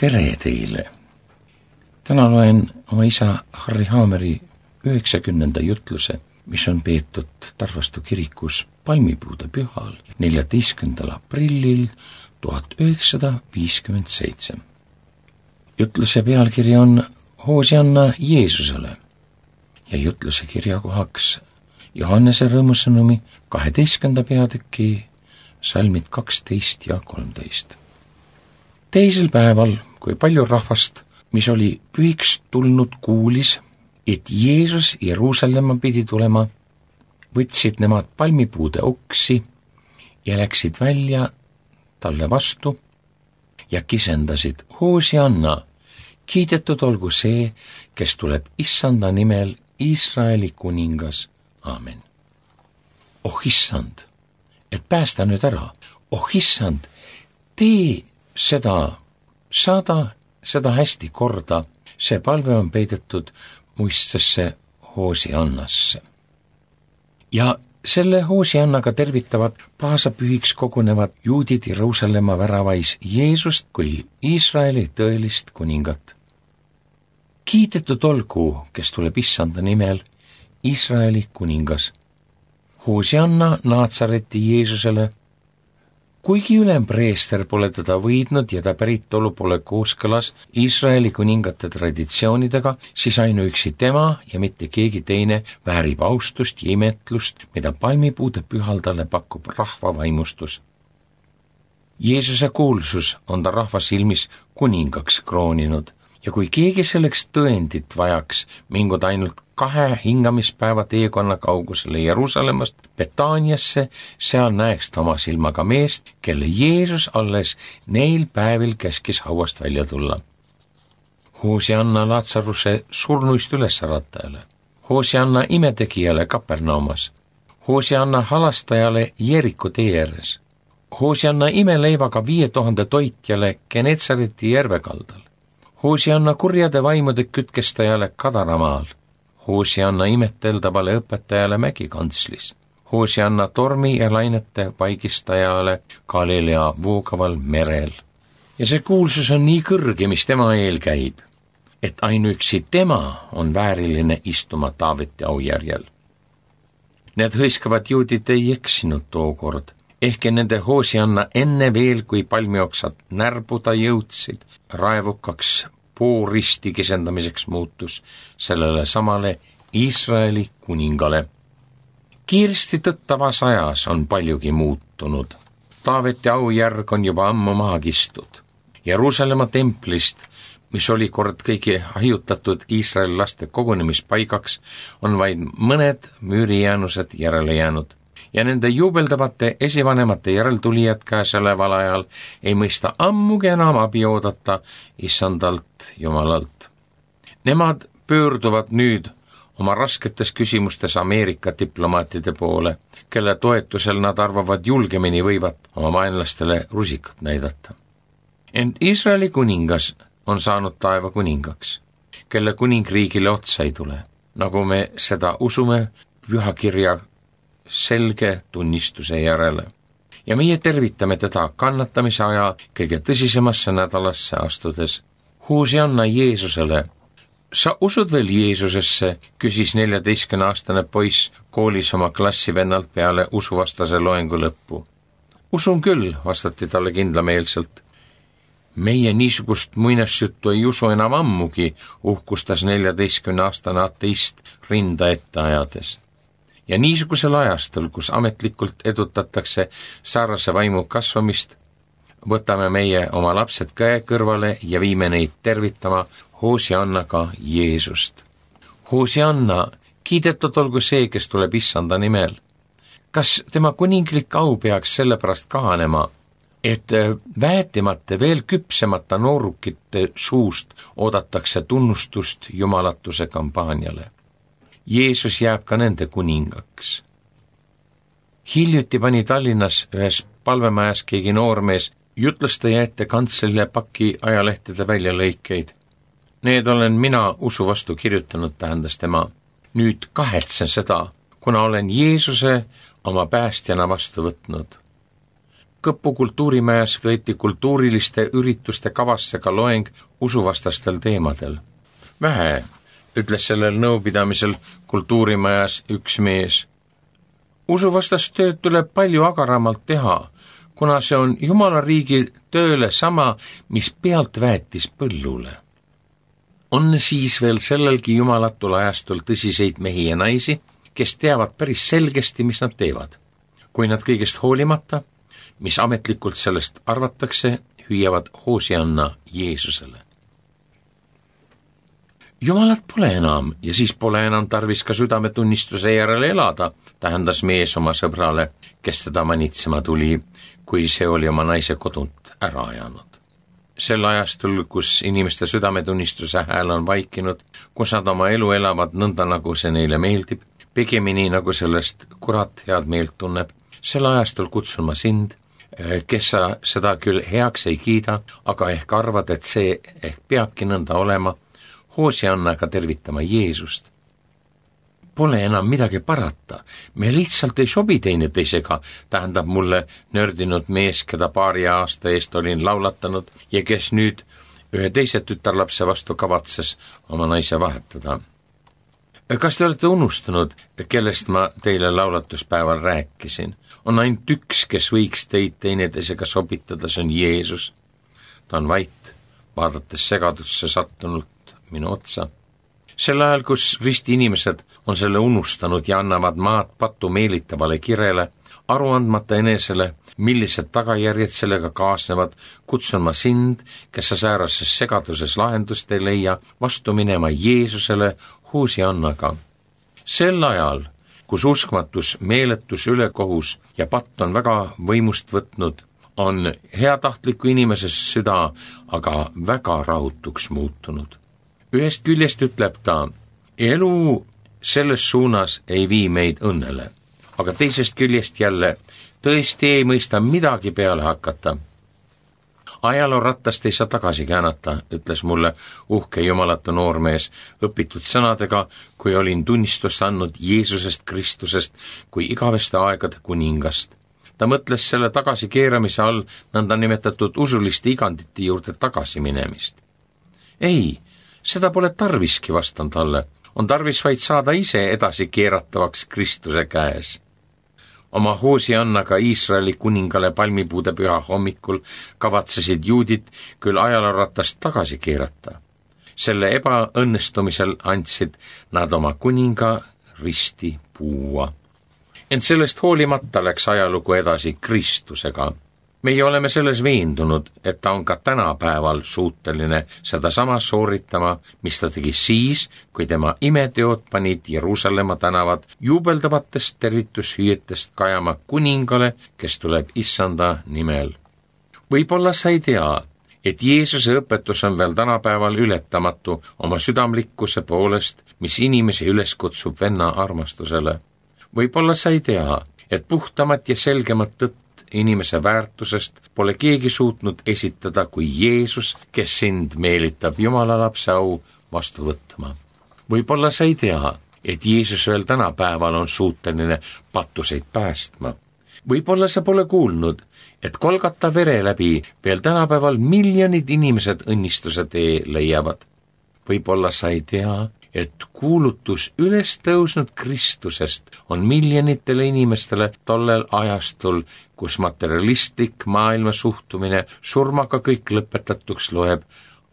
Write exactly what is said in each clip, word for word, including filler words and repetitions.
tere teile! Täna loen oma isa Harri Haameri üheksakümnenda jutluse, mis on peetud Tarvastu kirikus palmipuude pühal neljateistkümnendal aprillil tuhat üheksasada viiskümmend seitse. Jutluse pealkiri on Hoosianna Jeesusele ja jutluse kirjakohaks Johannese rõõmusõnumi kaheteistkümnenda peatüki salmid kaksteist ja kolmteist. Teisel päeval, kui palju rahvast, mis oli pühiks tulnud, kuulis, et Jeesus Jeruusalemma pidi tulema, võtsid nemad palmipuude oksi ja läksid välja talle vastu ja kisendasid: Hoosianna, kiidetud olgu see, kes tuleb issanda nimel, Iisraeli kuningas. Aamen. Oh issand, et päästa nüüd ära. Oh issand, tee seda, saada seda hästi korda, see palve on peidetud muistsesse Hoosiannasse. Ja selle Hoosiannaga tervitavad paasapühiks kogunevad juudid Jeruusalemma väravais Jeesust kui Iisraeli tõelist kuningat. Kiidetud olgu, kes tuleb issanda nimel, Iisraeli kuningas. Hoosianna Naatsareti Jeesusele. Kuigi ülempreester pole teda võidnud ja ta päritolu pole kooskõlas Iisraeli kuningate traditsioonidega, siis ainuüksi tema ja mitte keegi teine väärib austust ja imetlust, mida palmipuude pühaldale pakub rahva vaimustus. Jeesuse kuulsus on ta rahva silmis kuningaks krooninud ja kui keegi selleks tõendit vajaks, mingud ainult kahe hingamispäeva teekonna kaugusele Jeruusalemmast Betaaniasse, seal näeks ta oma silmaga meest, kelle Jeesus alles neil päevil käskis hauast välja tulla. Hoosianna Laatsaruse surnuist ülesratajale, Hoosianna imetegijale Kapernaumas, Hoosianna halastajale Jeeriku tee ääres, Hoosianna imeleivaga viie tuhande toitjale Genetsareti järve kaldal, Hoosianna kurjade vaimude kütkestajale Kadaramaal, Hoosianna imeteldavale õpetajale Mägikantslis, Hoosianna tormi ja lainete paigistajale Galilea voogaval merel. Ja see kuulsus on nii kõrge, mis tema eel käib, et ainuüksi tema on vääriline istuma Taaveti aujärjel. Need hõiskavad juudid ei eksinud tookord, ehkki nende Hoosianna enne veel, kui palmioksad närbuda jõudsid, raevukaks pooristi kisendamiseks muutus sellele samale Iisraeli kuningale. Kiiresti tõttavas ajas on paljugi muutunud. Taaveti aujärg on juba ammu maha kistud. Jeruusalemma templist, mis oli kord kõigi hajutatud Iisraeli laste kogunemispaigaks, on vaid mõned müürijäänused järele jäänud. Ja nende juubeldavate esivanemate järeltulijad käesoleval ajal ei mõista ammugi enam abi oodata issandalt Jumalalt. Nemad pöörduvad nüüd oma rasketes küsimustes Ameerika diplomaatide poole, kelle toetusel nad arvavad julgemini võivat oma vaenlastele rusikat näidata. Ent Iisraeli kuningas on saanud taeva kuningaks, kelle kuningriigile otsa ei tule, nagu me seda usume pühakirja selge tunnistuse järele. Ja meie tervitame teda kannatamise aja kõige tõsisemasse nädalasse astudes. Hoosianna Jeesusele. Sa usud veel Jeesusesse, küsis neljateistkümneaastane poiss koolis oma klassivennalt peale usuvastase loengu lõppu. Usun küll, vastati talle kindlameelselt. Meie niisugust muinasjuttu ei usu enam ammugi, uhkustas neljateistkümneaastane ateist rinda ette ajades. Ja niisugusel ajastul, kus ametlikult edutatakse saarase vaimu kasvamist, võtame meie oma lapsed käe kõrvale ja viime neid tervitama Hoosiannaga Jeesust. Hoosianna, kiidetud olgu see, kes tuleb issanda nimel. Kas tema kuninglik au peaks sellepärast kahanema, et väetimate veel küpsemata noorukite suust oodatakse tunnustust jumalatuse kampaaniale? Jeesus jääb ka nende kuningaks. Hiljuti pani Tallinnas ühes palvemajas keegi noormees jutlustaja ette kantselile paki ajalehtede väljalõikeid. Need olen mina usu vastu kirjutanud, tähendas tema. Nüüd kahetsen seda, kuna olen Jeesuse oma päästjana vastu võtnud. Kõpu kultuurimajas võeti kultuuriliste ürituste kavasse ka loeng usuvastastel teemadel. Vähe, ütles sellel nõupidamisel kultuurimajas üks mees. Usuvastast tööd tuleb palju agaramalt teha, kuna see on Jumala riigi tööle sama, mis pealt väetis põllule. On siis veel sellelgi jumalatul ajastul tõsiseid mehi ja naisi, kes teavad päris selgesti, mis nad teevad. Kui nad kõigest hoolimata, mis ametlikult sellest arvatakse, hüüavad Hoosianna Jeesusele. Jumalat pole enam ja siis pole enam tarvis ka südametunnistuse järele elada, tähendas mees oma sõbrale, kes teda manitsema tuli, kui see oli oma naise kodunt ära ajanud. Sel ajastul, kus inimeste südametunnistuse hääl on vaikinud, kus nad oma elu elavad nõnda, nagu see neile meeldib, pigemini nagu sellest kurat head meelt tunneb, sel ajastul kutsun ma sind, kes sa seda küll heaks ei kiida, aga ehk arvad, et see ehk peabki nõnda olema, Hoosiannaga tervitama Jeesust. Pole enam midagi parata, me lihtsalt ei sobi teineteisega, tähendab mulle nördinud mees, keda paari aasta eest olin laulatanud ja kes nüüd ühe teise tütarlapse vastu kavatses oma naise vahetada. Kas te olete unustanud, kellest ma teile laulatuspäeval rääkisin? On ainult üks, kes võiks teid teineteisega sobitada, see on Jeesus. Ta on vait, vaadates segadusse sattunult minu otsa. Sel ajal, kus risti inimesed on selle unustanud ja annavad maad patu meelitavale kirele, aru andmata enesele, millised tagajärjed sellega kaasnevad, kutsun ma sind, kes sa säärases segaduses lahendust ei leia, vastu minema Jeesusele Hoosiannaga. Sel ajal, kus uskmatus, meeletus, ülekohus ja patt on väga võimust võtnud, on heatahtliku inimese süda aga väga rahutuks muutunud. Ühest küljest ütleb ta, elu selles suunas ei vii meid õnnele, aga teisest küljest jälle tõesti ei mõista midagi peale hakata. Ajaloo rattast ei saa tagasi käänata, ütles mulle uhke jumalatu noormees õpitud sõnadega, kui olin tunnistust andnud Jeesusest Kristusest kui igaveste aegade kuningast. Ta mõtles selle tagasi keeramise all nõnda nimetatud usuliste igandite juurde tagasi minemist. Ei, seda pole tarviski, vastan talle. On tarvis vaid saada ise edasi keeratavaks Kristuse käes. Oma Hoosiannaga Iisraeli kuningale palmipuude püha hommikul kavatsesid juudid küll ajalooratast tagasi keerata. Selle ebaõnnestumisel andsid nad oma kuninga risti puua. Ent sellest hoolimata läks ajalugu edasi Kristusega. Meie oleme selles veendunud, et ta on ka tänapäeval suuteline seda sama sooritama, mis ta tegi siis, kui tema imeteod panid Jeruusalemma tänavad jubeldavatest tervitushüüetest kajama kuningale, kes tuleb issanda nimel. Võib-olla sa ei tea, et Jeesuse õpetus on veel tänapäeval ületamatu oma südamlikkuse poolest, mis inimesi üles kutsub venna armastusele. Võib-olla sa ei tea, et puhtamat ja selgemat tõtt inimese väärtusest pole keegi suutnud esitada kui Jeesus, kes sind meelitab Jumala lapse au vastu võtma. Võib-olla sa ei tea, et Jeesus veel tänapäeval on suuteline pattuseid päästma. Võib-olla sa pole kuulnud, et Kolgata vere läbi veel tänapäeval miljonid inimesed õnnistuse tee leiavad. Võib-olla sa ei tea, et kuulutus üles tõusnud Kristusest on miljonitele inimestele tollel ajastul, kus materialistlik maailma suhtumine surmaga kõik lõpetatuks loeb,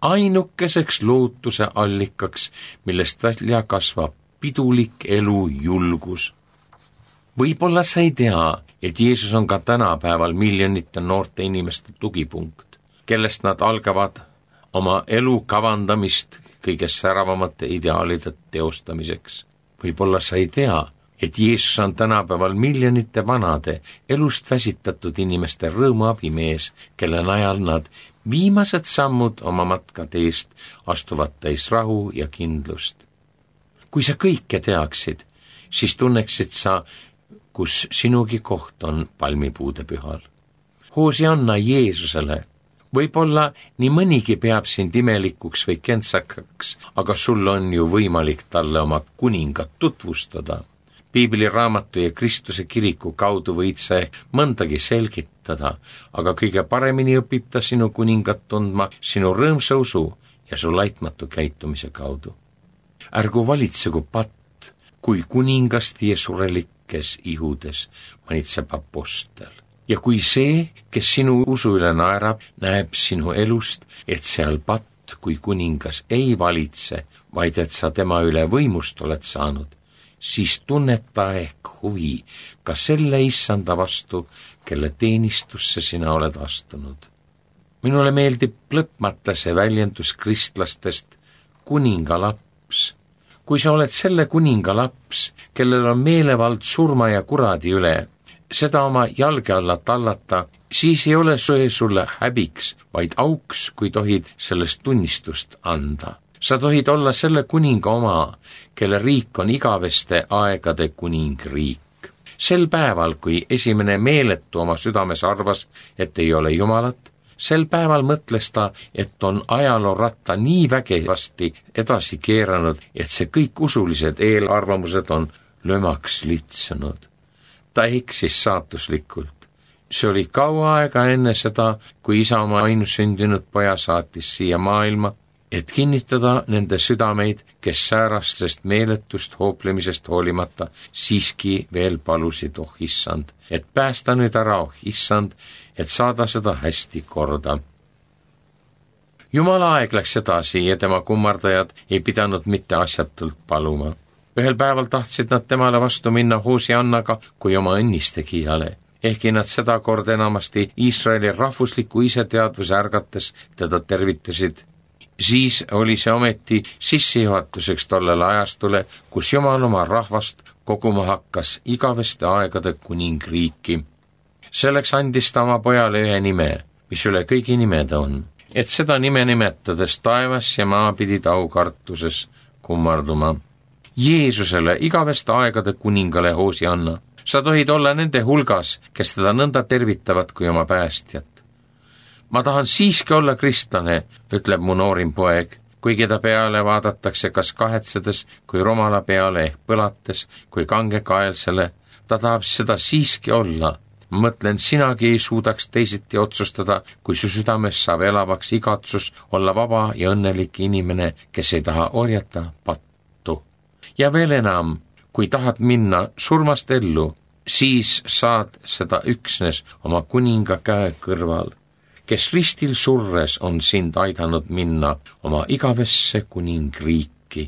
ainukeseks lootuse allikaks, millest välja kasvab pidulik elu julgus. Võib-olla sa ei tea, et Jeesus on ka tänapäeval miljonite noorte inimeste tugipunkt, kellest nad algavad oma elu kavandamist kõige säravamate ideaalide teostamiseks. Võib-olla sa ei tea, et Jeesus on tänapäeval miljonite vanade, elust väsitatud inimeste rõõmuabimees, kelle najal nad viimased sammud oma matkateest astuvad täis rahu ja kindlust. Kui sa kõike teaksid, siis tunneksid sa, kus sinugi koht on palmipuude pühal. Hoosianna Jeesusele. Võib-olla nii mõnigi peab sind imelikuks või kentsakaks, aga sul on ju võimalik talle oma kuningat tutvustada. Piibli raamatu ja Kristuse kiriku kaudu võid sa mõndagi selgitada hävitada, aga kõige paremini õpib ta sinu kuningat tundma sinu rõõmsa usu ja su laitmatu käitumise kaudu. Ärgu valitsegu patt, kui kuningast ja surelikes ihudes manitseb apostel. Ja kui see, kes sinu usu üle naerab, näeb sinu elust, et seal patt kui kuningas ei valitse, vaid et sa tema üle võimust oled saanud, siis tunneta ehk huvi ka selle issanda vastu, kelle teenistusse sina oled astunud. Minule meeldib lõpmata see väljendus kristlastest kuninga laps. Kui sa oled selle kuninga laps, kellel on meelevald surma ja kuradi üle, seda oma jalge alla tallata, siis ei ole see sulle häbiks, vaid auks, kui tohid sellest tunnistust anda. Sa tohid olla selle kuninga oma, kelle riik on igaveste aegade kuningriik. Sel päeval, kui esimene meeletu oma südames arvas, et ei ole Jumalat, sel päeval mõtles ta, et on ajaloo ratta nii vägevasti edasi keeranud, et see kõik usulised eelarvamused on lömaks litsunud. Ta eksis saatuslikult. See oli kaua aega enne seda, kui isa oma ainsündinud poja saatis siia maailma, et kinnitada nende südameid, kes säärastest meeletust hooplemisest hoolimata siiski veel palusid, oh issand, et päästa nüüd ära, oh issand, et saada seda hästi korda. Jumala aeg läks edasi ja tema kummardajad ei pidanud mitte asjatult paluma. Ühel päeval tahtsid nad temale vastu minna Hoosiannaga kui oma õnnistegijale, ehkki nad seda kord enamasti Iisraeli rahvusliku iseteadvuse ärgates teda tervitasid. Siis oli see ometi sissejuhatuseks tollele ajastule, kus Jumal oma rahvast koguma hakkas igaveste aegade kuningriiki. Selleks andis ta oma pojale ühe nime, mis üle kõigi nimed on, et seda nime nimetades taevas ja maa pidid aukartuses kummarduma. Jeesusele, igaveste aegade kuningale Hoosianna, sa tohid olla nende hulgas, kes teda nõnda tervitavad kui oma päästjat. Ma tahan siiski olla kristlane, ütleb mu noorim poeg, kuigi ta peale vaadatakse kas kahetsedes kui romala peale ehk põlates kui kangekaelsele, ta tahab seda siiski olla. Mõtlen, sinagi ei suudaks teisiti otsustada, kui su südames saab elavaks igatsus olla vaba ja õnnelik inimene, kes ei taha orjata pattu. Ja veel enam, kui tahad minna surmast ellu, siis saad seda üksnes oma kuninga käe kõrval, kes ristil surres on sind aidanud minna oma igavesse kuningriiki.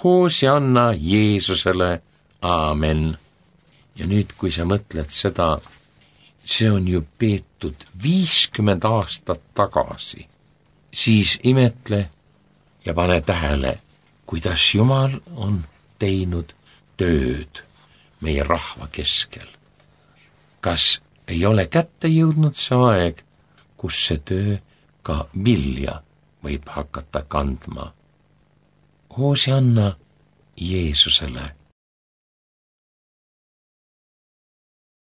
Hoosianna Jeesusele, aamen. Ja nüüd, kui sa mõtled seda, see on ju peetud viiskümmend aastat tagasi, siis imetle ja pane tähele, kuidas Jumal on teinud tööd meie rahva keskel. Kas ei ole kätte jõudnud see aeg, kus see töö ka vilja võib hakata kandma? Hoosianna Jeesusele.